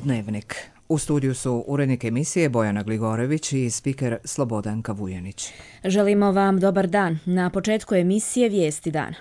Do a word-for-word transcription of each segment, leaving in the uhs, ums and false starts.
Dnevnik. U studiju su urednik emisije Bojana Gligorević i spiker Slobodanka Vujanić. Želimo vam dobar dan. Na početku emisije Vijesti dana.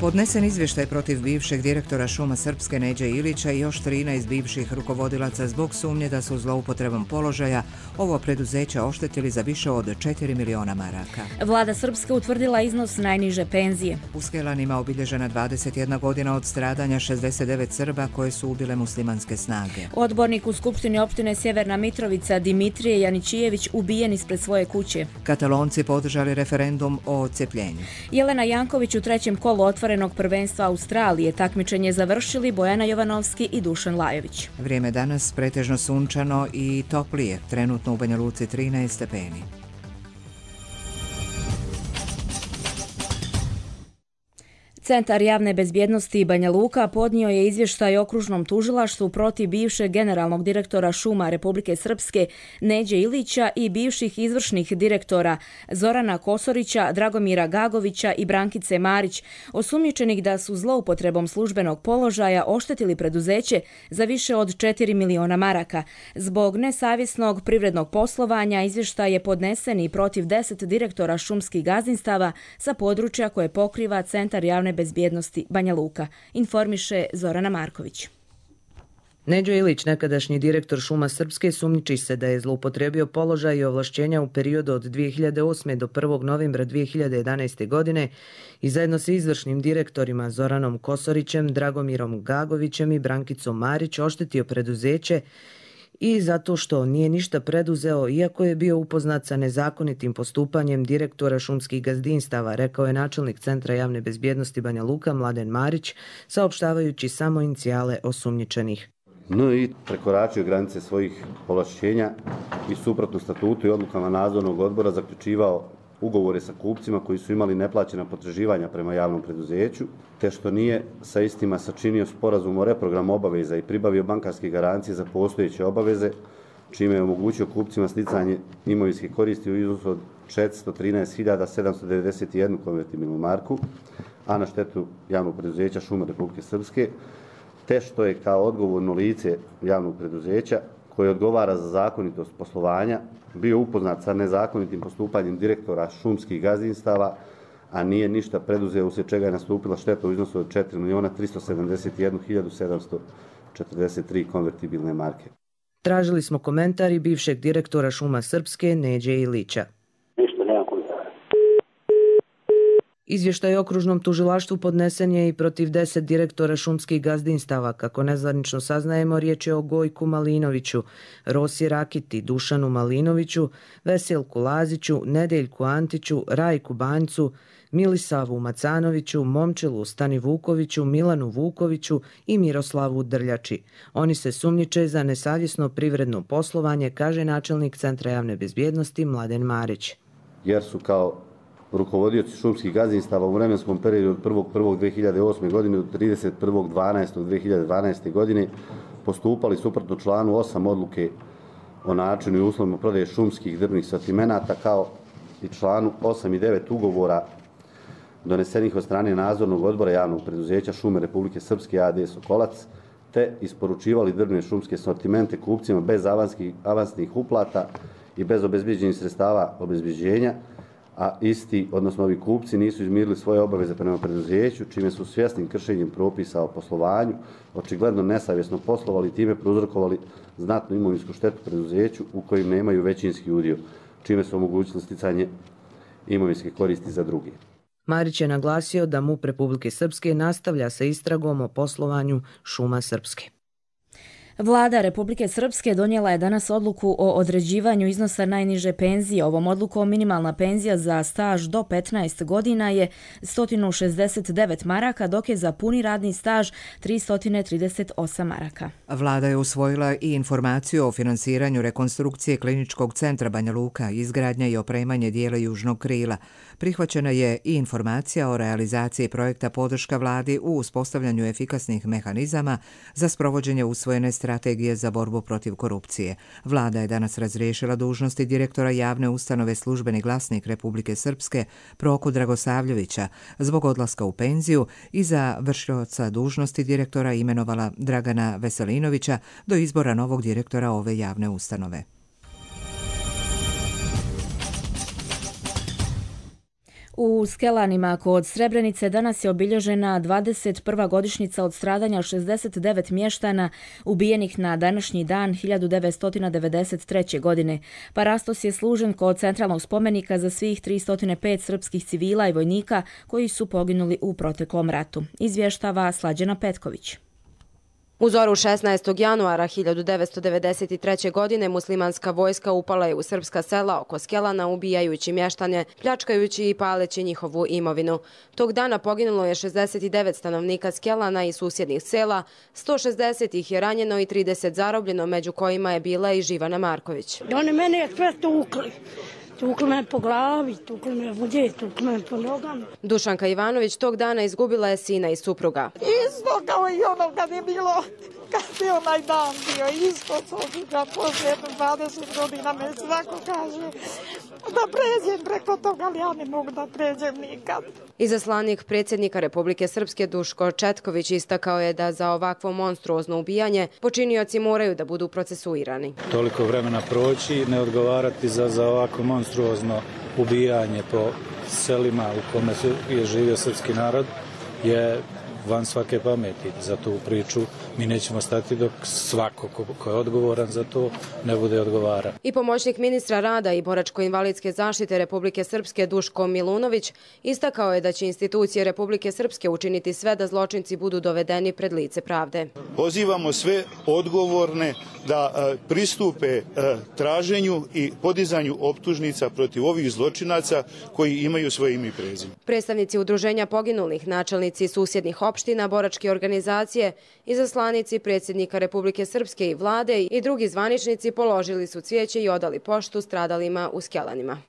Podnesen izvještaj protiv bivšeg direktora Šuma Srpske Neđe Ilića i još trinaest bivših rukovodilaca zbog sumnje da su zloupotrebom položaja ovo preduzeće oštetili za više od četiri miliona maraka. Vlada Srpske utvrdila iznos najniže penzije. U Skelanima obilježena dvadeset jedna godina od stradanja šezdeset devet Srba koje su ubile muslimanske snage. Odbornik u Skupštini opštine Sjeverna Mitrovica Dimitrije Janičijević ubijen ispred svoje kuće. Katalonci podržali referendum o odcepljenju. Jelena Janković u trećem kolu otvorenog prvenstva Australije takmičenje završili Bojana Jovanovski i Dušan Lajović. Vrijeme danas pretežno sunčano i toplije, trenutno u Banja Luci trinaest stepeni. Centar javne bezbjednosti Banja Luka podnio je izvještaj okružnom tužilaštvu protiv bivšeg generalnog direktora Šuma Republike Srpske Neđe Ilića i bivših izvršnih direktora Zorana Kosorića, Dragomira Gagovića i Brankice Marić, osumnjičenih da su zloupotrebom službenog položaja oštetili preduzeće za više od četiri miliona maraka. Zbog nesavjesnog privrednog poslovanja izvještaj je podnesen i protiv deset direktora šumskih gazdinstava sa područja koje pokriva Centar javne bezbjednosti Banja Luka, informiše Zorana Marković. Neđo Ilić, nekadašnji direktor Šuma Srpske, sumnjiči se da je zloupotrebio položaj i ovlašćenja u periodu od dvije hiljade osme do prvog novembra dvije hiljade jedanaeste. godine i zajedno sa izvršnim direktorima Zoranom Kosorićem, Dragomirom Gagovićem i Brankicom Marić oštetio preduzeće i zato što nije ništa preduzeo, iako je bio upoznat sa nezakonitim postupanjem direktora šumskih gazdinstava, rekao je načelnik Centra javne bezbjednosti Banja Luka Mladen Marić, saopštavajući samo inicijale osumnjičenih. N I prekoračio granice svojih ovlašćenja i suprotno statutu i odlukama nadzornog odbora zaključivao ugovore sa kupcima koji su imali neplaćena potraživanja prema javnom preduzeću, te što nije sa istima sačinio sporazum o reprogramu obaveza i pribavio bankarske garancije za postojeće obaveze, čime je omogućio kupcima sticanje imovinske koristi u iznosu od četiristo trinaest hiljada sedamsto devedeset jednu konvertibilnu marku, a na štetu javnog preduzeća Šuma Republike Srpske, te što je kao odgovorno lice javnog preduzeća koji odgovara za zakonitost poslovanja, bio upoznat sa nezakonitim postupanjem direktora šumskih gazdinstava, a nije ništa preduzeo, uslijed čega je nastupila šteta u iznosu od četiri miliona tristo sedamdeset jednu hiljadu sedamsto četrdeset tri konvertibilne marke. Tražili smo komentar i bivšeg direktora Šuma Srpske Neđe Ilića. Izvještaj okružnom tužilaštvu podnesen je i protiv deset direktora šumskih gazdinstava. Kako nezvanično saznajemo, riječ je o Gojku Malinoviću, Rosi Rakiti, Dušanu Malinoviću, Veselku Laziću, Nedeljku Antiću, Rajku Banjcu, Milisavu Macanoviću, Momčelu Stani Vukoviću, Milanu Vukoviću i Miroslavu Drljači. Oni se sumnjiče za nesavjesno privredno poslovanje, kaže načelnik Centra javne bezbjednosti Mladen Marić. Jer su kao rukovodioci šumskih gazdinstava u vremenskom periodu od prvog prvog dvije hiljade osme. godine do trideset prvog dvanaestog dvije hiljade dvanaeste. godine postupali suprotno članu osam odluke o načinu i uslovima prodaje šumskih drvnih sortimenata, kao i članu osam i devet ugovora donesenih od strane nadzornog odbora javnog preduzeća Šume Republike Srpske A D Sokolac, te isporučivali drvne šumske sortimente kupcima bez avanskih, avansnih uplata i bez obezbeđenih sredstava obezbeđenja, a isti, odnosno ovi kupci, nisu izmirili svoje obaveze prema preduzeću, čime su svjesnim kršenjem propisa o poslovanju očigledno nesavjesno poslovali i time prouzrokovali znatnu imovinsku štetu preduzeću u kojim nemaju većinski udio, čime su omogućili sticanje imovinske koristi za druge. Marić je naglasio da MUP Republike Srpske nastavlja sa istragom o poslovanju Šuma Srpske. Vlada Republike Srpske donijela je danas odluku o određivanju iznosa najniže penzije. Ovom odlukom minimalna penzija za staž do petnaest godina je sto šezdeset devet maraka, dok je za puni radni staž tristo trideset osam maraka. Vlada je usvojila i informaciju o finansiranju rekonstrukcije Kliničkog centra Banja Luka, izgradnja i opremanje dijela južnog krila. Prihvaćena je i informacija o realizaciji projekta podrška vladi u uspostavljanju efikasnih mehanizama za sprovođenje usvojene strategije za borbu protiv korupcije. Vlada je danas razriješila dužnosti direktora javne ustanove Službeni glasnik Republike Srpske Proku Dragosavljevića zbog odlaska u penziju i za vršioca dužnosti direktora imenovala Dragana Veselinovića do izbora novog direktora ove javne ustanove. U Skelanima kod Srebrenice danas je obilježena dvadeset prva godišnjica od stradanja šezdeset devet mještana ubijenih na današnji dan hiljadu devetsto devedeset treće. godine. Parastos je služen kod centralnog spomenika za svih tristo pet srpskih civila i vojnika koji su poginuli u proteklom ratu. Izvještava Slađana Petković. U zoru šesnaestog januara hiljadu devetsto devedeset treće. godine muslimanska vojska upala je u srpska sela oko Skelana, ubijajući mještane, pljačkajući i paleći njihovu imovinu. Tog dana poginulo je šezdeset devet stanovnika Skelana i susjednih sela, sto šezdeset ih je ranjeno i trideset zarobljeno, među kojima je bila i Živana Marković. Oni mene sve tukli. Tukli me po glavi, tukli me vode, tukli me po nogama. Dušanka Ivanović tog dana izgubila je sina i supruga. Isto kao i ono kad je bilo, kad je onaj dan bio, isto supruga, poslije dvadeset godina me svako kaže da pređem preko toga, ali ja ne mogu da pređem nikad. Izaslanik predsjednika Republike Srpske Duško Četković istakao je da za ovakvo monstruozno ubijanje počinioci moraju da budu procesuirani. Toliko vremena proći, ne odgovarati za, za ovako monstruozno ubijanje po selima u kome je živio srpski narod je van svake pameti. Za tu priču mi nećemo stati dok svako ko, ko je odgovoran za to ne bude odgovara. I pomoćnik ministra rada i boračko-invalidske zaštite Republike Srpske Duško Milunović istakao je da će institucije Republike Srpske učiniti sve da zločinci budu dovedeni pred lice pravde. Pozivamo sve odgovorne da pristupe traženju i podizanju optužnica protiv ovih zločinaca koji imaju svoje ime i prezime. Predstavnici udruženja poginulih, načelnici susjednih opština, boračke organizacije, izaslanici predsjednika Republike Srpske i vlade i drugi zvaničnici položili su cvijeće i odali poštu stradalima u Skelanima.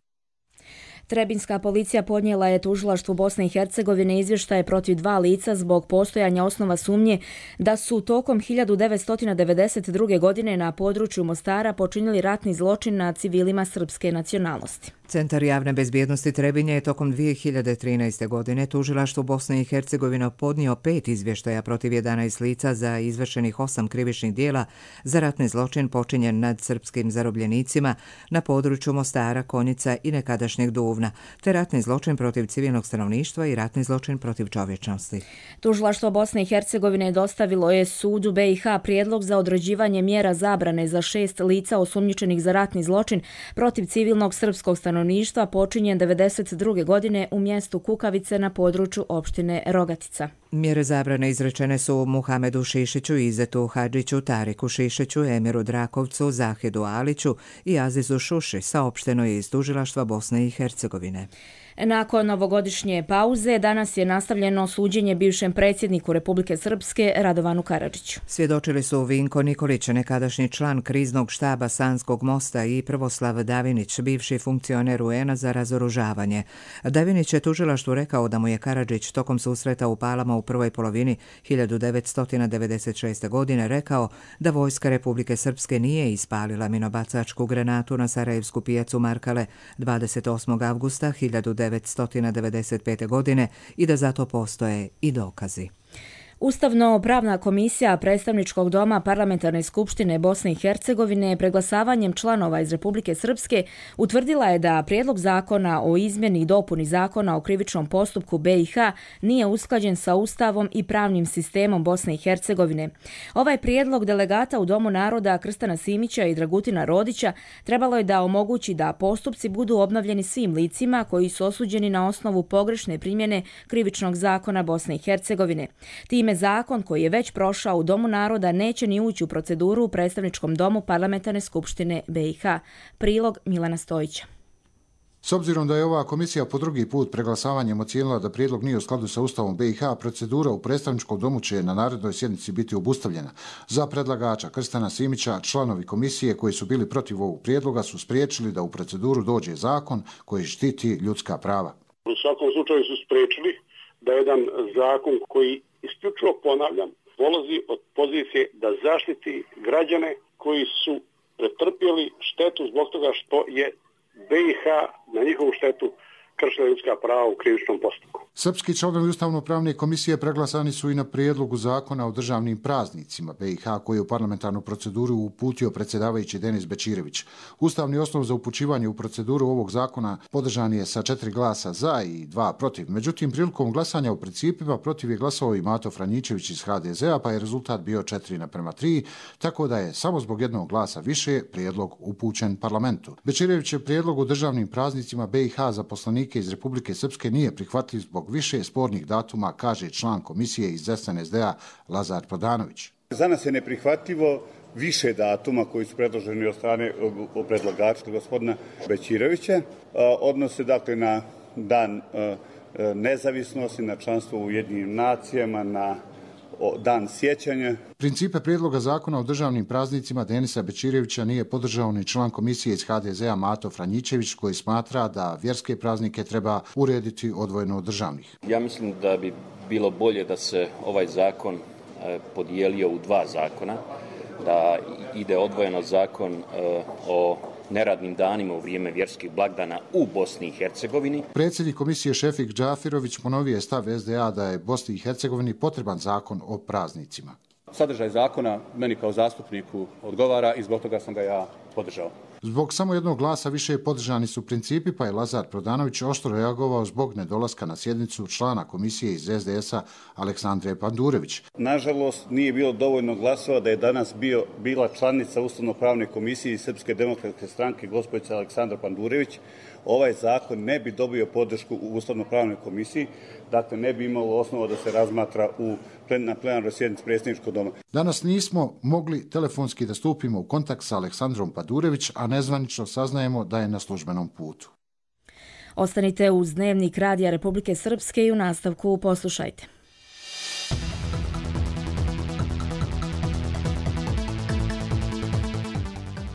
Trebinska policija podnijela je tužilaštvu Bosne i Hercegovine izvještaje protiv dva lica zbog postojanja osnova sumnje da su tokom hiljadu devetsto devedeset druge. godine na području Mostara počinili ratni zločin nad civilima srpske nacionalnosti. Centar javne bezbjednosti Trebinje je tokom dvije hiljade trinaeste. godine tužilaštvu Bosne i Hercegovine podnio pet izvještaja protiv jedanaest lica za izvršenih osam krivičnih dijela za ratni zločin počinjen nad srpskim zarobljenicima na području Mostara, Konjica i nekadašnjeg Duvna, te ratni zločin protiv civilnog stanovništva i ratni zločin protiv čovječnosti. Tužilaštvo Bosne i Hercegovine dostavilo je sudu B i H prijedlog za određivanje mjera zabrane za šest lica osumnjičenih za ratni zločin protiv civilnog srpskog stanovništva počinjen devedeset druge. godine u mjestu Kukavice na području opštine Rogatica. Mjere zabrane izrečene su Muhamedu Šišiću, Izetu Hadžiću, Tariku Šišiću, Emiru Drakovcu, Zahidu Aliću i Azizu Šuši, saopšteno je iz tužilaštva Bosne i Hercegovine. Nakon novogodišnje pauze, danas je nastavljeno suđenje bivšem predsjedniku Republike Srpske Radovanu Karadžiću. Svjedočili su Vinko Nikolić, nekadašnji član kriznog štaba Sanskog mosta, i Prvoslav Davinić, bivši funkcioner U N-a za razoružavanje. Davinić je tužilaštvu rekao da mu je Karadžić tokom susreta u Palama u prvoj polovini hiljadu devetsto devedeset šeste. godine rekao da vojska Republike Srpske nije ispalila minobacačku granatu na Sarajevsku pijacu Markale dvadeset osmog avgusta hiljadu devetsto devedeset pete. godine i da zato postoje i dokazi. Ustavno-pravna komisija Predstavničkog doma Parlamentarne skupštine Bosne i Hercegovine preglasavanjem članova iz Republike Srpske utvrdila je da prijedlog zakona o izmjeni i dopuni zakona o krivičnom postupku B i H nije usklađen sa Ustavom i pravnim sistemom Bosne i Hercegovine. Ovaj prijedlog delegata u Domu naroda Krstana Simića i Dragutina Rodića trebalo je da omogući da postupci budu obnovljeni svim licima koji su osuđeni na osnovu pogrešne primjene krivičnog zakona Bosne i Hercegovine. Time zakon koji je već prošao u Domu naroda neće ni ući u proceduru u Predstavničkom domu Parlamentarne skupštine B i H. Prilog Milana Stojića. S obzirom da je ova komisija po drugi put preglasavanjem ocijenila da prijedlog nije u skladu sa Ustavom B i H, procedura u Predstavničkom domu će na narednoj sjednici biti obustavljena. Za predlagača Krstana Simića, članovi komisije koji su bili protiv ovog prijedloga su spriječili da u proceduru dođe zakon koji štiti ljudska prava. U svakom slučaju su spriječili da jedan zakon koji, isključivo ponavljam, polazi od pozicije da zaštiti građane koji su pretrpjeli štetu zbog toga što je B i H na njihovu štetu kršila ljudska prava u krivičnom postupku. Srpski članovi Ustavno-pravne komisije preglasani su i na prijedlogu zakona o državnim praznicima B i H koji je u parlamentarnu proceduru uputio predsjedavajući Denis Bećirević. Ustavni osnov za upućivanje u proceduru ovog zakona podržan je sa četiri glasa za i dva protiv. Međutim, prilikom glasanja u principima protiv je glasao i Mato Franjičević iz H D Z-a, pa je rezultat bio četiri naprema tri, tako da je samo zbog jednog glasa više prijedlog upućen parlamentu. Bećirević je prijedlog o državnim praznicima B i H za poslanike iz Republike Srpske nije prihvatljiv zbog više spornih datuma, kaže član komisije iz S N S D-a Lazar Prodanović. Za nas je neprihvatljivo više datuma koji su predloženi od strane predlagača gospodina Bećirevića. Odnose dakle na dan nezavisnosti, na članstvo u Ujedinjenim nacijama, na dan sjećanja. Principe prijedloga zakona o državnim praznicima Denisa Bećirevića nije podržao ni član komisije iz H D Z-a Mato Franjičević koji smatra da vjerske praznike treba urediti odvojeno od državnih. Ja mislim da bi bilo bolje da se ovaj zakon podijelio u dva zakona, da ide odvojeno zakon o neradnim danima u vrijeme vjerskih blagdana u Bosni i Hercegovini. Predsjednik komisije Šefik Džafirović ponovio je stav S D A da je Bosni i Hercegovini potreban zakon o praznicima. Sadržaj zakona meni kao zastupniku odgovara i zbog toga sam ga ja podržao. Zbog samo jednog glasa više podržani su principi, pa je Lazar Prodanović oštro reagovao zbog nedolaska na sjednicu člana komisije iz S D S-a Aleksandre Pandurević. Nažalost, nije bilo dovoljno glasova da je danas bio, bila članica Ustavno-pravne komisije iz Srpske demokratske stranke gospođa Aleksandra Pandurević. Ovaj zakon ne bi dobio podršku u Ustavno-pravnoj komisiji, dakle ne bi imalo osnova da se razmatra u plen, na plenarnoj sjednici predsjedničkog doma. Danas nismo mogli telefonski da stupimo u kontakt sa Aleksandrom Pandurević, a nezvanično saznajemo da je na službenom putu. Ostanite uz Dnevnik Radija Republike Srpske i u nastavku poslušajte.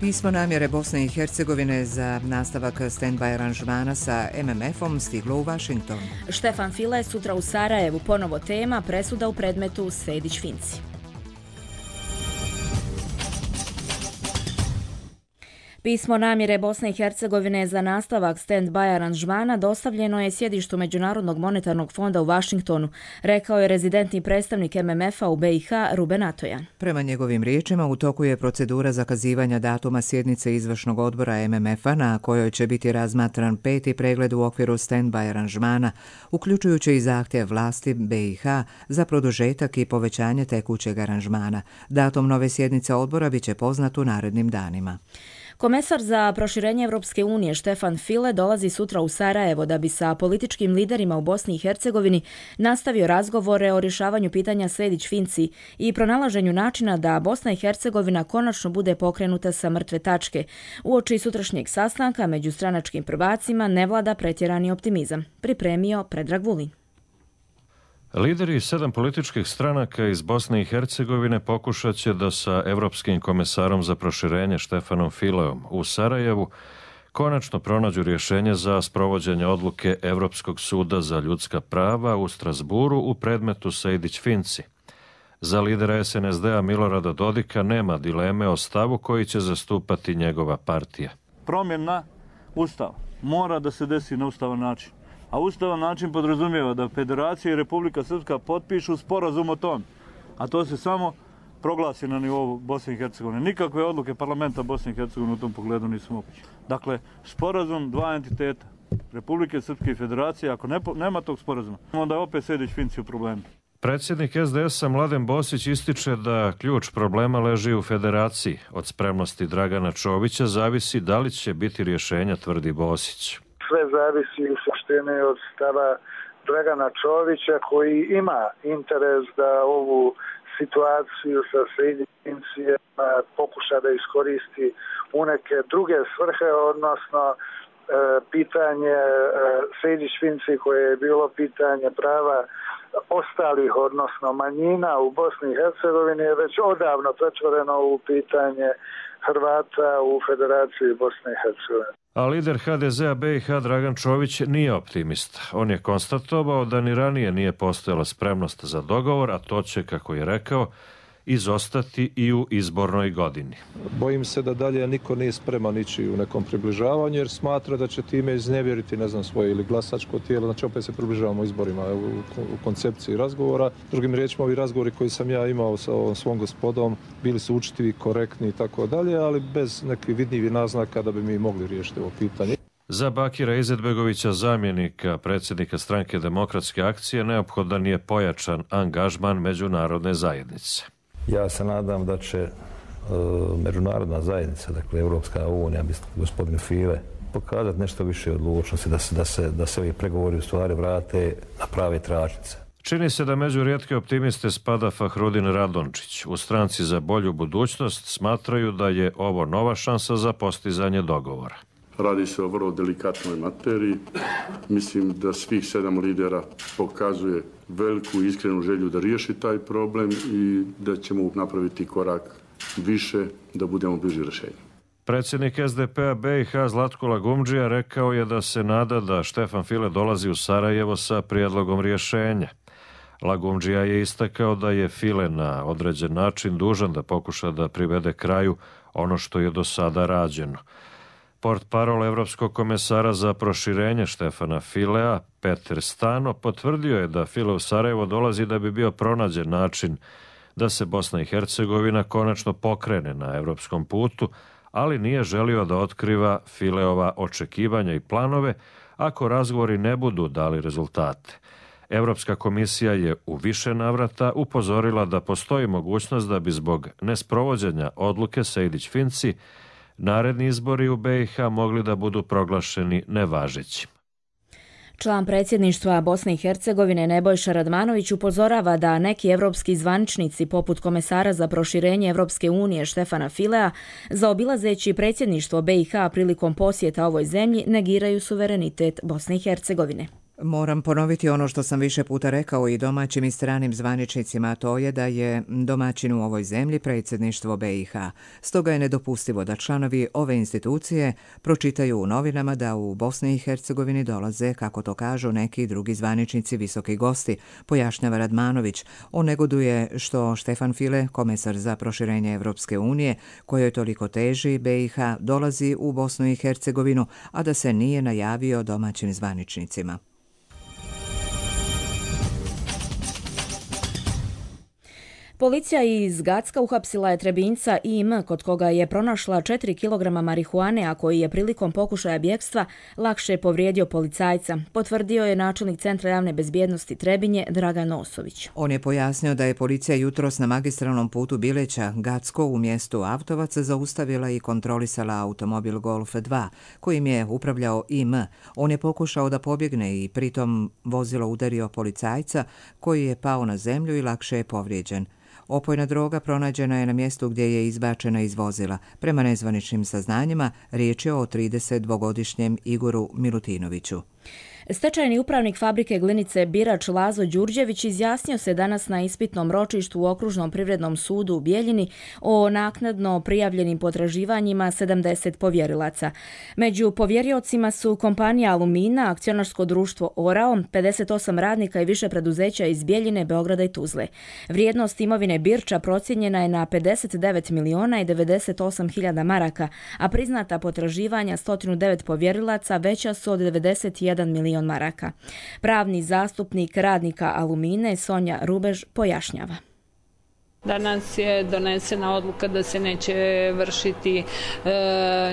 Pismo namjere Bosne i Hercegovine za nastavak stand-by aranžmana sa M M F-om stiglo u Vašington. Štefan File sutra u Sarajevu, ponovo tema presuda u predmetu Sejdić-Finci. Pismo namjere Bosne i Hercegovine za nastavak stand-by aranžmana dostavljeno je sjedištu Međunarodnog monetarnog fonda u Vašingtonu, rekao je rezidentni predstavnik M M F-a u B i H Ruben Atojan. Prema njegovim riječima, u toku je procedura zakazivanja datuma sjednice izvršnog odbora M M F-a na kojoj će biti razmatran peti pregled u okviru stand-by aranžmana, uključujući i zahtjev vlasti B i H za produžetak i povećanje tekućeg aranžmana. Datum nove sjednice odbora biće poznat u narednim danima. Komesar za proširenje Evropske unije Štefan File dolazi sutra u Sarajevo da bi sa političkim liderima u Bosni i Hercegovini nastavio razgovore o rješavanju pitanja Sejdić-Finci i pronalaženju načina da Bosna i Hercegovina konačno bude pokrenuta sa mrtve tačke. Uoči sutrašnjeg sastanka među stranačkim prvacima ne vlada pretjerani optimizam, pripremio Predrag Vulin. Lideri sedam političkih stranaka iz Bosne i Hercegovine pokušat će da sa Evropskim komesarom za proširenje Štefanom Fileom u Sarajevu konačno pronađu rješenje za sprovođenje odluke Evropskog suda za ljudska prava u Strasburu u predmetu Sejdić-Finci. Za lidera S N S D-a Milorada Dodika nema dileme o stavu koji će zastupati njegova partija. Promjena Ustava mora da se desi na ustavan način. A ustavan način podrazumijeva da Federacija i Republika Srpska potpišu sporazum o tom. A to se samo proglasi na nivou Bosne i Hercegovine. Nikakve odluke parlamenta Bosne i Hercegovine u tom pogledu nisu moguće. Dakle, sporazum dva entiteta, Republike Srpske i Federacije, ako ne, nema tog sporazuma, onda je opet Sejdić-Finci u problemu. Predsjednik S D S-a Mladen Bosić ističe da ključ problema leži u Federaciji. Od spremnosti Dragana Čovića zavisi da li će biti rješenja, tvrdi Bosić. Sve zavisi u suštini od stava Dragana Čovića koji ima interes da ovu situaciju sa Sejdić-Fincijama pokuša da iskoristi u neke druge svrhe, odnosno e, pitanje e, Sejdić-Finci koje je bilo pitanje prava ostalih, odnosno manjina u Bosni i Hercegovini je već odavno pretvoreno u pitanje Hrvata u Federaciji Bosne i Hercegovine. A lider ha de zea be i ha Dragan Čović nije optimista. On je konstatovao da ni ranije nije postojala spremnost za dogovor, a to će, kako je rekao, izostati i u izbornoj godini. Bojim se da dalje niko nije spreman ići u nekom približavanju jer smatra da će time iznevjeriti, ne znam, svoje ili glasačko tijelo, znači opet se približavamo izborima u, u koncepciji razgovora. Drugim riječima, ovi razgovori koji sam ja imao sa ovom svom gospodom bili su učitivi, korektni i tako dalje, ali bez nekih vidljivih naznaka da bi mi mogli riješiti ovo pitanje. Za Bakira Izetbegovića, zamjenika predsjednika stranke Demokratske akcije, neophodan je pojačan angažman međunarodne zajednice. Ja se nadam da će e, međunarodna zajednica, dakle Europska unija, gospodin File, pokazati nešto više odlučnosti da se, da se, da se ovi pregovori u stvari vrate na prave tračnice. Čini se da među rijetke optimiste spada Fahrudin Radončić. U stranci za bolju budućnost smatraju da je ovo nova šansa za postizanje dogovora. Radi se o vrlo delikatnoj materiji. Mislim da svih sedam lidera pokazuje veliku i iskrenu želju da riješi taj problem i da ćemo napraviti korak više da budemo bliži rješenju. Predsjednik es de pe a be i ha Zlatko Lagumdžija rekao je da se nada da Štefan File dolazi u Sarajevo sa prijedlogom rješenja. Lagumdžija je istakao da je File na određen način dužan da pokuša da privede kraju ono što je do sada rađeno. Portparol Evropskog komesara za proširenje Štefana Filea, Peter Stano, potvrdio je da File u Sarajevo dolazi da bi bio pronađen način da se Bosna i Hercegovina konačno pokrene na evropskom putu, ali nije želio da otkriva Fileova očekivanja i planove ako razgovori ne budu dali rezultate. Evropska komisija je u više navrata upozorila da postoji mogućnost da bi zbog nesprovođenja odluke Sejdić-Finci naredni izbori u be i ha mogli da budu proglašeni nevažećim. Član predsjedništva Bosne i Hercegovine Nebojša Radmanović upozorava da neki evropski zvaničnici poput komesara za proširenje Evropske unije Štefana Filea, zaobilazeći predsjedništvo be i ha prilikom posjeta ovoj zemlji, negiraju suverenitet Bosne i Hercegovine. Moram ponoviti ono što sam više puta rekao i domaćim i stranim zvaničnicima, a to je da je domaćin u ovoj zemlji predsjedništvo be i ha. Stoga je nedopustivo da članovi ove institucije pročitaju u novinama da u Bosni i Hercegovini dolaze, kako to kažu neki drugi zvaničnici, visoki gosti, pojašnjava Radmanović. On negoduje što Štefan File, komesar za proširenje Evropske unije, kojoj toliko teži be i ha, dolazi u Bosnu i Hercegovinu, a da se nije najavio domaćim zvaničnicima. Policija iz Gacka uhapsila je Trebinjca I M, kod koga je pronašla četiri kilograma marihuane, a koji je prilikom pokušaja bjegstva lakše povrijedio policajca, potvrdio je načelnik Centra javne bezbjednosti Trebinje Dragan Osović. On je pojasnio da je policija jutros na magistralnom putu Bileća Gacko u mjestu Avtovac zaustavila i kontrolisala automobil Golf dva, kojim je upravljao I M. On je pokušao da pobjegne i pritom vozilo udario policajca, koji je pao na zemlju i lakše je povrijeđen. Opojna droga pronađena je na mjestu gdje je izbačena iz vozila. Prema nezvaničnim saznanjima, riječ je o tridesetdvogodišnjem Igoru Milutinoviću. Stečajni upravnik fabrike glinice Birač Lazo Đurđević izjasnio se danas na ispitnom ročištu u Okružnom privrednom sudu u Bijeljini o naknadno prijavljenim potraživanjima sedamdeset povjerilaca. Među povjeriocima su kompanija Alumina, akcionarsko društvo Orao, pedeset osam radnika i više preduzeća iz Bijeljine, Beograda i Tuzle. Vrijednost imovine Birča procijenjena je na pedeset devet miliona i devedeset osam hiljada maraka, a priznata potraživanja sto devet povjerilaca veća su od devedeset jedan miliona maraka. Pravni zastupnik radnika Alumine Sonja Rubež pojašnjava. Danas je donesena odluka da se neće vršiti e,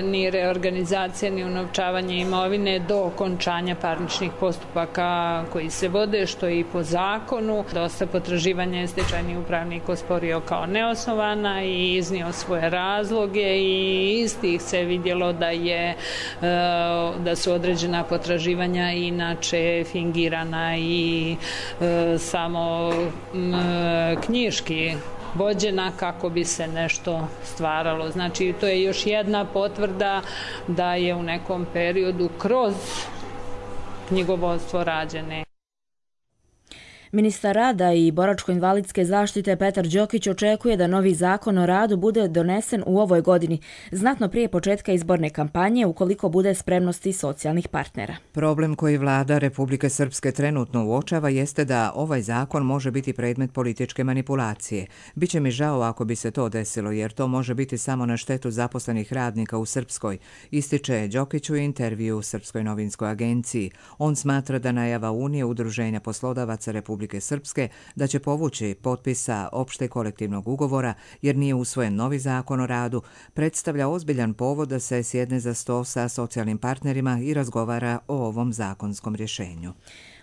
ni reorganizacija ni unovčavanje imovine do okončanja parničnih postupaka koji se vode, što je i po zakonu. Dosta potraživanja je stečajni upravnik osporio kao neosnovana i iznio svoje razloge i iz tih se vidjelo da je e, da su određena potraživanja inače fingirana i e, samo e, knjiški vođena kako bi se nešto stvaralo. Znači, to je još jedna potvrda da je u nekom periodu kroz knjigovodstvo rađene. Ministar rada i boračko-invalidske zaštite Petar Đokić očekuje da novi zakon o radu bude donesen u ovoj godini, znatno prije početka izborne kampanje, ukoliko bude spremnosti socijalnih partnera. Problem koji vlada Republike Srpske trenutno uočava jeste da ovaj zakon može biti predmet političke manipulacije. Biće mi žao ako bi se to desilo, jer to može biti samo na štetu zaposlenih radnika u Srpskoj, ističe Đokić u intervju u Srpskoj novinskoj agenciji. On smatra da najava Unije Udruženja poslodavaca Republike Srpske da će povući potpisa opšte kolektivnog ugovora jer nije usvojen novi zakon o radu, predstavlja ozbiljan povod da se sjedne za sto sa socijalnim partnerima i razgovara o ovom zakonskom rješenju.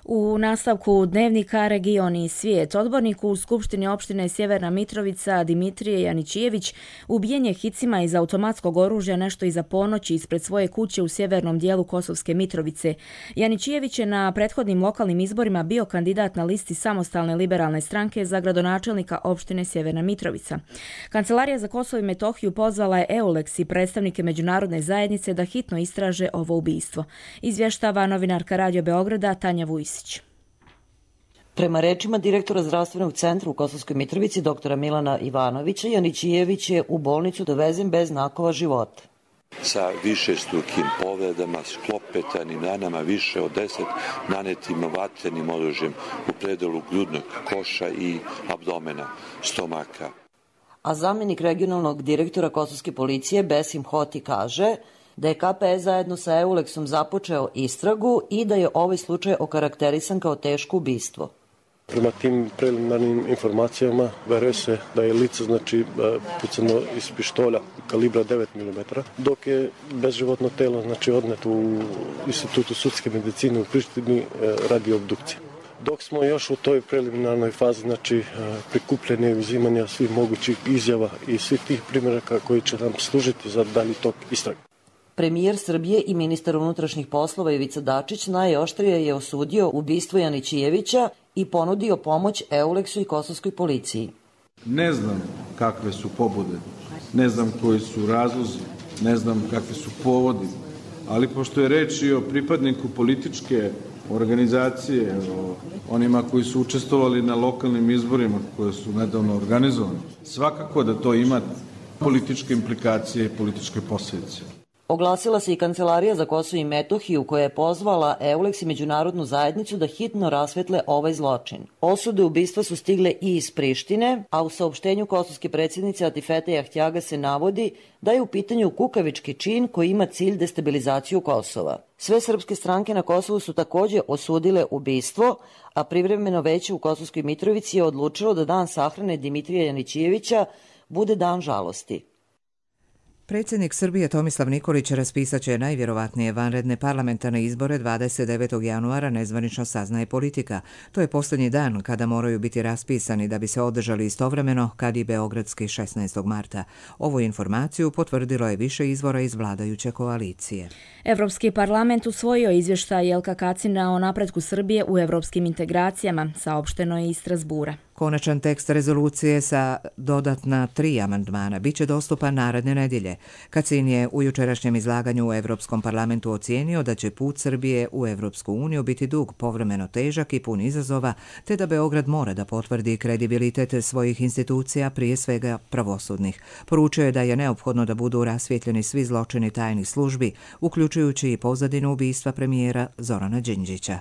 U nastavku dnevnika Region i svijet, odbornik u Skupštini opštine Sjeverna Mitrovica Dimitrije Janićijević ubijen je hicima iz automatskog oružja nešto iza ponoći ispred svoje kuće u sjevernom dijelu Kosovske Mitrovice. Janićijević je na prethodnim lokalnim izborima bio kandidat na listi Samostalne liberalne stranke za gradonačelnika opštine Sjeverna Mitrovica. Kancelarija za Kosovo i Metohiju pozvala je EULEX i predstavnike međunarodne zajednice da hitno istraže ovo ubistvo. Izvještava novinarka Radio Beograda Tanja Vujsić. Prema rečima direktora zdravstvenog centra u Kosovskoj Mitrovici, doktora Milana Ivanovića, Janićijević je u bolnicu dovezen bez znakova života. Sa višestrukim povredama, sklopetanim ranama, više od deset nanetim vatrenim oružjem u predelu grudnog koša i abdomena, stomaka. A zamjenik regionalnog direktora Kosovske policije Besim Hoti kaže da je K P S zajedno sa EULEX-om započeo istragu i da je ovaj slučaj okarakterisan kao teško ubistvo. Prema tim preliminarnim informacijama veruje se da je lice znači pucano iz pištolja kalibra devet milimetara, dok je bezživotno telo znači odneto u Institutu sudske medicine u Prištini radi obdukcije. Dok smo još u toj preliminarnoj fazi znači prikupljanja i uzimanja svih mogućih izjava i svih tih primjeraka koji će nam služiti za dalji tok istrage. Premijer Srbije i ministar unutrašnjih poslova Ivica Dačić najoštrije je osudio ubistvo Janićijevića i ponudio pomoć EULEX-u i kosovskoj policiji. Ne znam kakve su pobude, ne znam koji su razlozi, ne znam kakvi su povodi, ali pošto je reč i o pripadniku političke organizacije, o onima koji su učestvovali na lokalnim izborima koje su nedavno organizovani, svakako da to ima političke implikacije i političke posljedice. Oglasila se i Kancelarija za Kosovo i Metohiju koja je pozvala EULEX i međunarodnu zajednicu da hitno rasvetle ovaj zločin. Osude ubistva su stigle i iz Prištine, a u saopštenju kosovske predsjednice Atifete Jahtjaga se navodi da je u pitanju kukavički čin koji ima cilj destabilizaciju Kosova. Sve srpske stranke na Kosovu su također osudile ubistvo, a privremeno veće u Kosovskoj Mitrovici je odlučilo da dan sahrane Dimitrija Janićijevića bude dan žalosti. Predsjednik Srbije Tomislav Nikolić raspisat će najvjerovatnije vanredne parlamentarne izbore dvadeset devetog januara, nezvanično saznaje Politika. To je posljednji dan kada moraju biti raspisani da bi se održali istovremeno kad i beogradski šesnaestog marta. Ovu informaciju potvrdilo je više izvora iz vladajuće koalicije. Evropski parlament usvojio izvještaj Jelka Kacina o napretku Srbije u evropskim integracijama, saopšteno je iz Strasbura. Konačan tekst rezolucije sa dodatna tri amandmana biće dostupan naredne nedjelje. Kacin je u jučerašnjem izlaganju u Evropskom parlamentu ocijenio da će put Srbije u Evropsku uniju biti dug, povremeno težak i pun izazova, te da Beograd mora da potvrdi kredibilitet svojih institucija, prije svega pravosudnih. Poručio je da je neophodno da budu rasvjetljeni svi zločini tajnih službi, uključujući i pozadinu ubistva premijera Zorana Đinđića.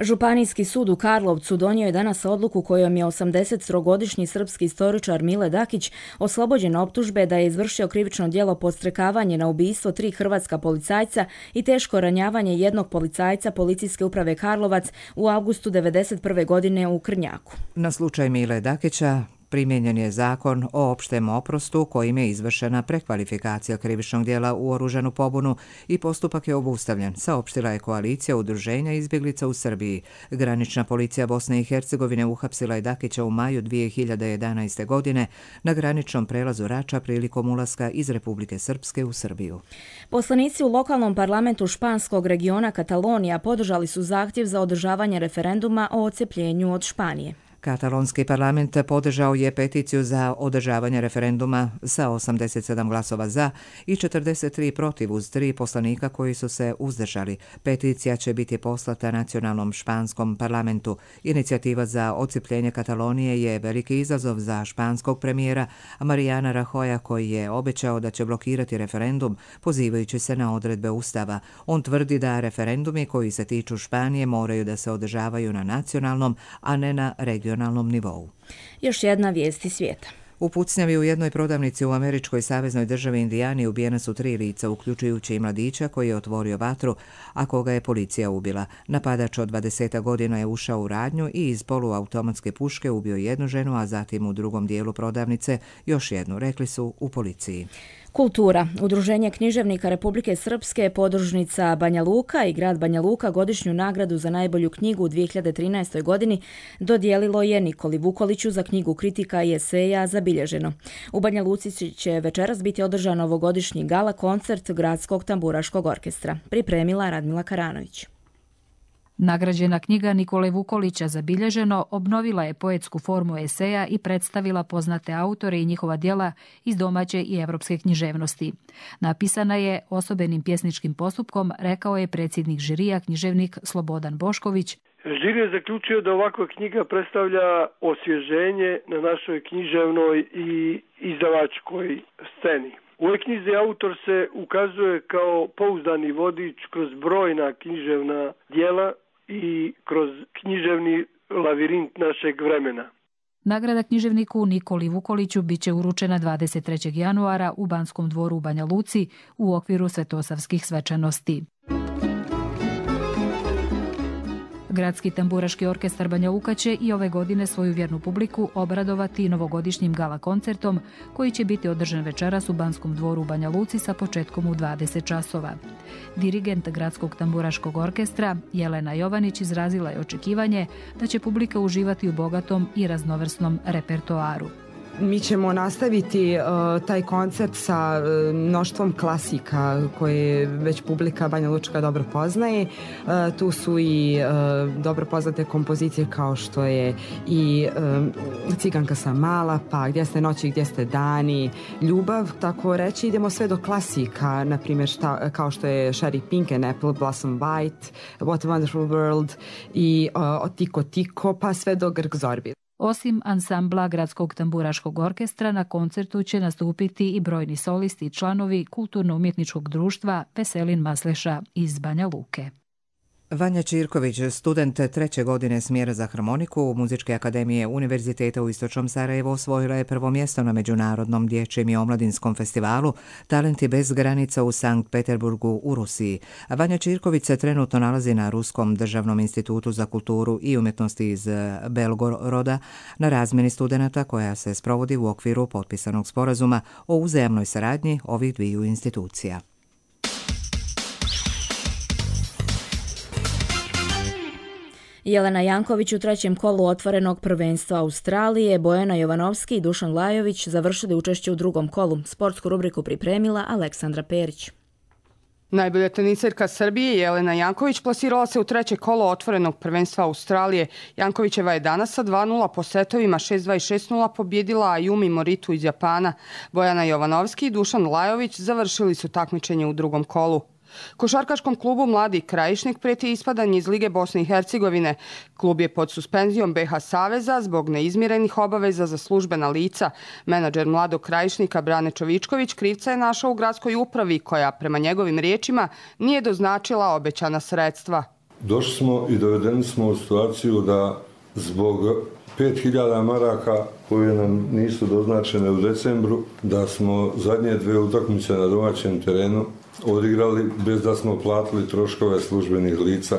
Županijski sud u Karlovcu donio je danas odluku kojom je osamdesettrogodišnji srpski istoričar Mile Dakić oslobođen optužbe da je izvršio krivično djelo podstrekavanje na ubistvo tri hrvatska policajca i teško ranjavanje jednog policajca Policijske uprave Karlovac u avgustu devedeset prve godine u Krnjaku. Na slučaj Mile Dakića primijenjen je zakon o opštem oprostu kojim je izvršena prekvalifikacija krivičnog djela u oružanu pobunu i postupak je obustavljen, saopštila je koalicija udruženja izbjeglica u Srbiji. Granična policija Bosne i Hercegovine uhapsila je Dakića u maju dvije hiljade jedanaeste. godine na graničnom prelazu Rača prilikom ulaska iz Republike Srpske u Srbiju. Poslanici u lokalnom parlamentu španskog regiona Katalonija podržali su zahtjev za održavanje referenduma o odcepljenju od Španije. Katalonski parlament podržao je peticiju za održavanje referenduma sa osamdeset sedam glasova za i četrdeset tri protiv uz tri poslanika koji su se uzdržali. Peticija će biti poslata nacionalnom španskom parlamentu. Inicijativa za odcijepljenje Katalonije je veliki izazov za španskog premijera Mariana Rajoya koji je obećao da će blokirati referendum pozivajući se na odredbe Ustava. On tvrdi da referendumi koji se tiču Španije moraju da se održavaju na nacionalnom, a ne na regionalnom nivou. Još jedna vijest iz svijeta. U pucnjavi u jednoj prodavnici u američkoj saveznoj državi Indijani ubijena su tri lica, uključujući i mladića koji je otvorio vatru, a koga je policija ubila. Napadač od dvadeset godina je ušao u radnju i iz poluautomatske puške ubio jednu ženu, a zatim u drugom dijelu prodavnice još jednu, rekli su u policiji. Kultura. Udruženje književnika Republike Srpske, podružnica Banja Luka i grad Banja Luka godišnju nagradu za najbolju knjigu u dvije hiljade trinaestoj. godini dodijelilo je Nikoli Vukoliću za knjigu kritika i eseja Zabilježeno. U Banja Luci će večeras biti održan ovogodišnji gala koncert Gradskog tamburaškog orkestra. Pripremila Radmila Karanović. Nagrađena knjiga Nikole Vukolića Zabilježeno obnovila je poetsku formu eseja i predstavila poznate autore i njihova djela iz domaće i evropske književnosti. Napisana je osobenim pjesničkim postupkom, rekao je predsjednik žirija književnik Slobodan Bošković. Žiri je zaključio da ovakva knjiga predstavlja osvježenje na našoj književnoj i izdavačkoj sceni. U ovoj knjizi autor se ukazuje kao pouzdani vodič kroz brojna književna djela i kroz književni lavirint našeg vremena. Nagrada književniku Nikoli Vukoliću bit će uručena dvadeset trećeg januara u Banskom dvoru u Banja Luci u okviru svetosavskih svečanosti. Gradski tamburaški orkestar Banja Luka će i ove godine svoju vjernu publiku obradovati novogodišnjim gala koncertom koji će biti održan večeras u Banskom dvoru u Banja Luci sa početkom u dvadeset časova. Dirigent Gradskog tamburaškog orkestra Jelena Jovanić izrazila je očekivanje da će publika uživati u bogatom i raznovrsnom repertoaru. Mi ćemo nastaviti uh, taj koncert sa uh, mnoštvom klasika koje već publika Banja Lučka dobro poznaje. Uh, tu su i uh, dobro poznate kompozicije kao što je i uh, Ciganka sam mala, pa Gdje ste noći, gdje ste dani, Ljubav, tako reći. Idemo sve do klasika, na primjer šta, kao što je Sherry Pink and Apple Blossom White, What a Wonderful World i uh, Tiko Tiko, pa sve do Grk Zorbi. Osim ansambla Gradskog tamburaškog orkestra, na koncertu će nastupiti i brojni solisti i članovi kulturno-umjetničkog društva Veselin Masleša iz Banja Luke. Vanja Čirković, student treće godine smjera za harmoniku Muzičke akademije Univerziteta u Istočnom Sarajevu, osvojila je prvo mjesto na Međunarodnom dječjem i omladinskom festivalu Talenti bez granica u Sankt Peterburgu u Rusiji. Vanja Čirković se trenutno nalazi na Ruskom državnom institutu za kulturu i umjetnosti iz Belgoroda na razmjeni studenata koja se sprovodi u okviru potpisanog sporazuma o uzajamnoj saradnji ovih dviju institucija. Jelena Janković u trećem kolu otvorenog prvenstva Australije, Bojana Jovanovski i Dušan Lajović završili učešće u drugom kolu. Sportsku rubriku pripremila Aleksandra Perić. Najbolja teniserka Srbije Jelena Janković plasirala se u treće kolo otvorenog prvenstva Australije. Jankovićeva je danas sa dva nula po setovima šest dva i šest nula pobjedila Ayumi Moritu iz Japana. Bojana Jovanovski i Dušan Lajović završili su takmičenje u drugom kolu. Košarkaškom klubu Mladi Krajišnik prijeti ispadanje iz Lige Bosne i Hercegovine. Klub je pod suspenzijom be ha Saveza zbog neizmirenih obaveza za službena lica. Menadžer Mladog Krajišnika Brane Čovičković krivca je našao u gradskoj upravi koja, prema njegovim riječima, nije doznačila obećana sredstva. Došli smo i dovedeni smo u situaciju da zbog pet hiljada maraka koje nam nisu doznačene u decembru, da smo zadnje dve utakmice na domaćem terenu odigrali bez da smo platili troškove službenih lica.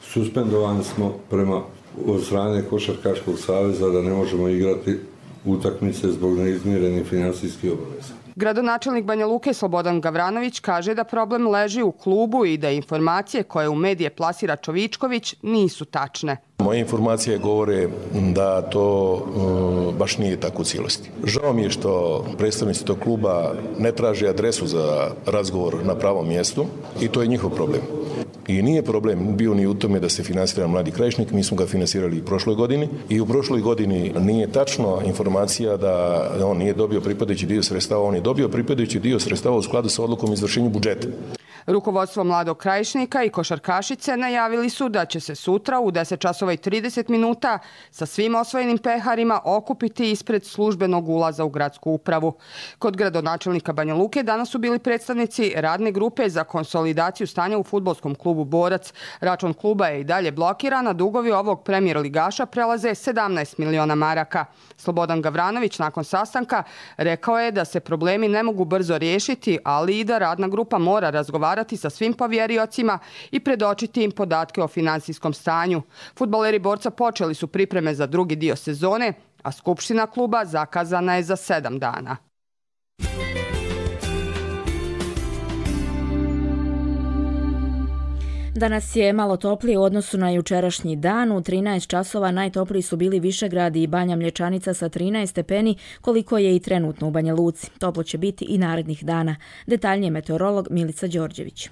Suspendovani smo prema od strane Košarkaškog saveza da ne možemo igrati utakmice zbog neizmirenih finansijskih obaveza. Gradonačelnik Banja Luke Slobodan Gavranović kaže da problem leži u klubu i da informacije koje u medije plasira Čovičković nisu tačne. Moje informacije govore da to um, baš nije tako u cijelosti. Žao mi je što predstavnici tog kluba ne traže adresu za razgovor na pravom mjestu i to je njihov problem. I nije problem bio ni u tome da se finansira Mladi Krajišnik, mi smo ga finansirali i prošloj godini i u prošloj godini nije tačno informacija da on nije dobio pripadajući dio sredstava, on je dobio pripadajući dio sredstava u skladu sa odlukom o izvršenju budžeta. Rukovodstvo Mladog Krajišnika i košarkašice najavili su da će se sutra u deset časova i trideset minuta sa svim osvojenim peharima okupiti ispred službenog ulaza u gradsku upravu. Kod gradonačelnika Banja Luke danas su bili predstavnici radne grupe za konsolidaciju stanja u fudbalskom klubu Borac. Račun kluba je i dalje blokiran, a dugovi ovog premijer ligaša prelaze sedamnaest miliona maraka. Slobodan Gavranović nakon sastanka rekao je da se problemi ne mogu brzo riješiti, ali i da radna grupa mora razgovarati sa svim povjeriocima i predočiti im podatke o finansijskom stanju. Fudbaleri Borca počeli su pripreme za drugi dio sezone, a skupština kluba zakazana je za sedam dana. Danas je malo toplije u odnosu na jučerašnji dan. U trinaest časova najtopliji su bili Višegrad i Banja Mlječanica sa trinaest stepeni, koliko je i trenutno u Banja Luci. Toplo će biti i narednih dana. Detaljnije meteorolog Milica Đorđević.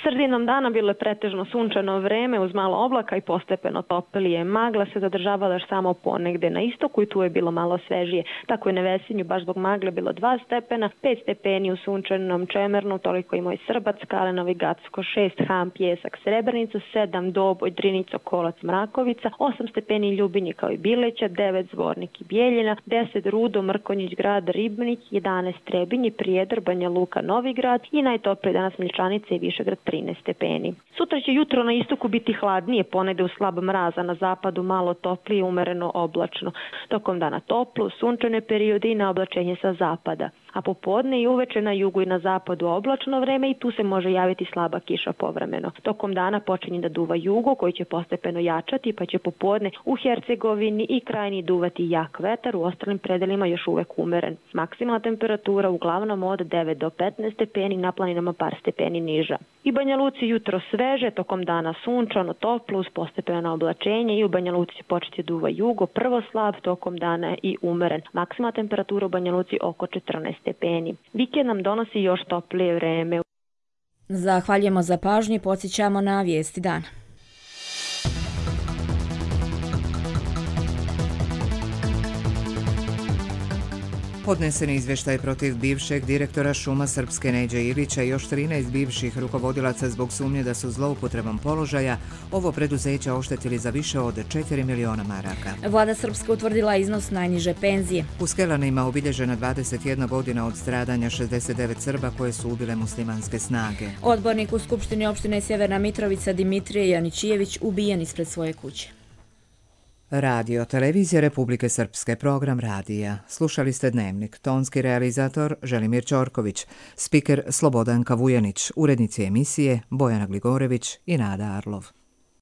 Sredinom dana bilo je pretežno sunčano vreme uz malo oblaka i postepeno toplije. Magla se zadržavala još samo ponegde na istoku i tu je bilo malo svežije. Tako je na Vesinju baš zbog magle bilo dva stepena, pet stepeni u sunčanom Čemernu, toliko i moj Srbac, Kalenovi, Gacko, šest, Ham, Pjesak, Srebrenica, sedam, Doboj, Drinico, Kolac, Mrakovica, osam stepeni Ljubinje kao i Bileća, devet, Zvornik i Bijeljina, deset, Rudo, Mrkonjić, Grad, Ribnik, jedanaest, Trebinje, Prijedor, Banja Luka, Novi Grad i najtoplije danas Mlječanica i Višegrad trinaest stepeni. Sutra će jutro na istoku biti hladnije, ponegde u slab mraz, a na zapadu malo toplije, umereno oblačno. Tokom dana toplo, sunčane periode i na oblačenje sa zapada. A popodne i uveče na jugu i na zapadu oblačno vreme i tu se može javiti slaba kiša povremeno. Tokom dana počinje da duva jugo koji će postepeno jačati, pa će popodne u Hercegovini i krajini duvati jak vetar, u ostalim predelima još uvek umeren. Maksimalna temperatura uglavnom od devet do petnaest stepeni, na planinama par stepeni niža. I Banja Luci jutro sveže, tokom dana sunčano, toplo uz postepeno oblačenje i u Banja Luci će početi duva jugo, prvo slab, tokom dana i umeren. Maksimalna temperatura u Banja Luci oko četrnaest stepeni. Vikend nam donosi još toplije vreme. Zahvaljujemo za pažnju i podsjećamo na vijesti dana. Podnesen je izvještaj protiv bivšeg direktora šuma Srpske Neđe Ilića i još trinaest bivših rukovodilaca zbog sumnje da su zloupotrebom položaja ovo preduzeće oštetili za više od četiri miliona maraka. Vlada Srpske utvrdila iznos najniže penzije. U Skelanima obilježena dvadeset jedna godina od stradanja šezdeset devet Srba koje su ubile muslimanske snage. Odbornik u Skupštini opštine Sjeverna Mitrovica Dimitrije Janićijević ubijen ispred svoje kuće. Radio Televizija Republike Srpske, program radija. Slušali ste Dnevnik. Tonski realizator Želimir Ćorković, spiker Slobodanka Vujanić, urednici emisije Bojana Gligorević i Nada Arlov.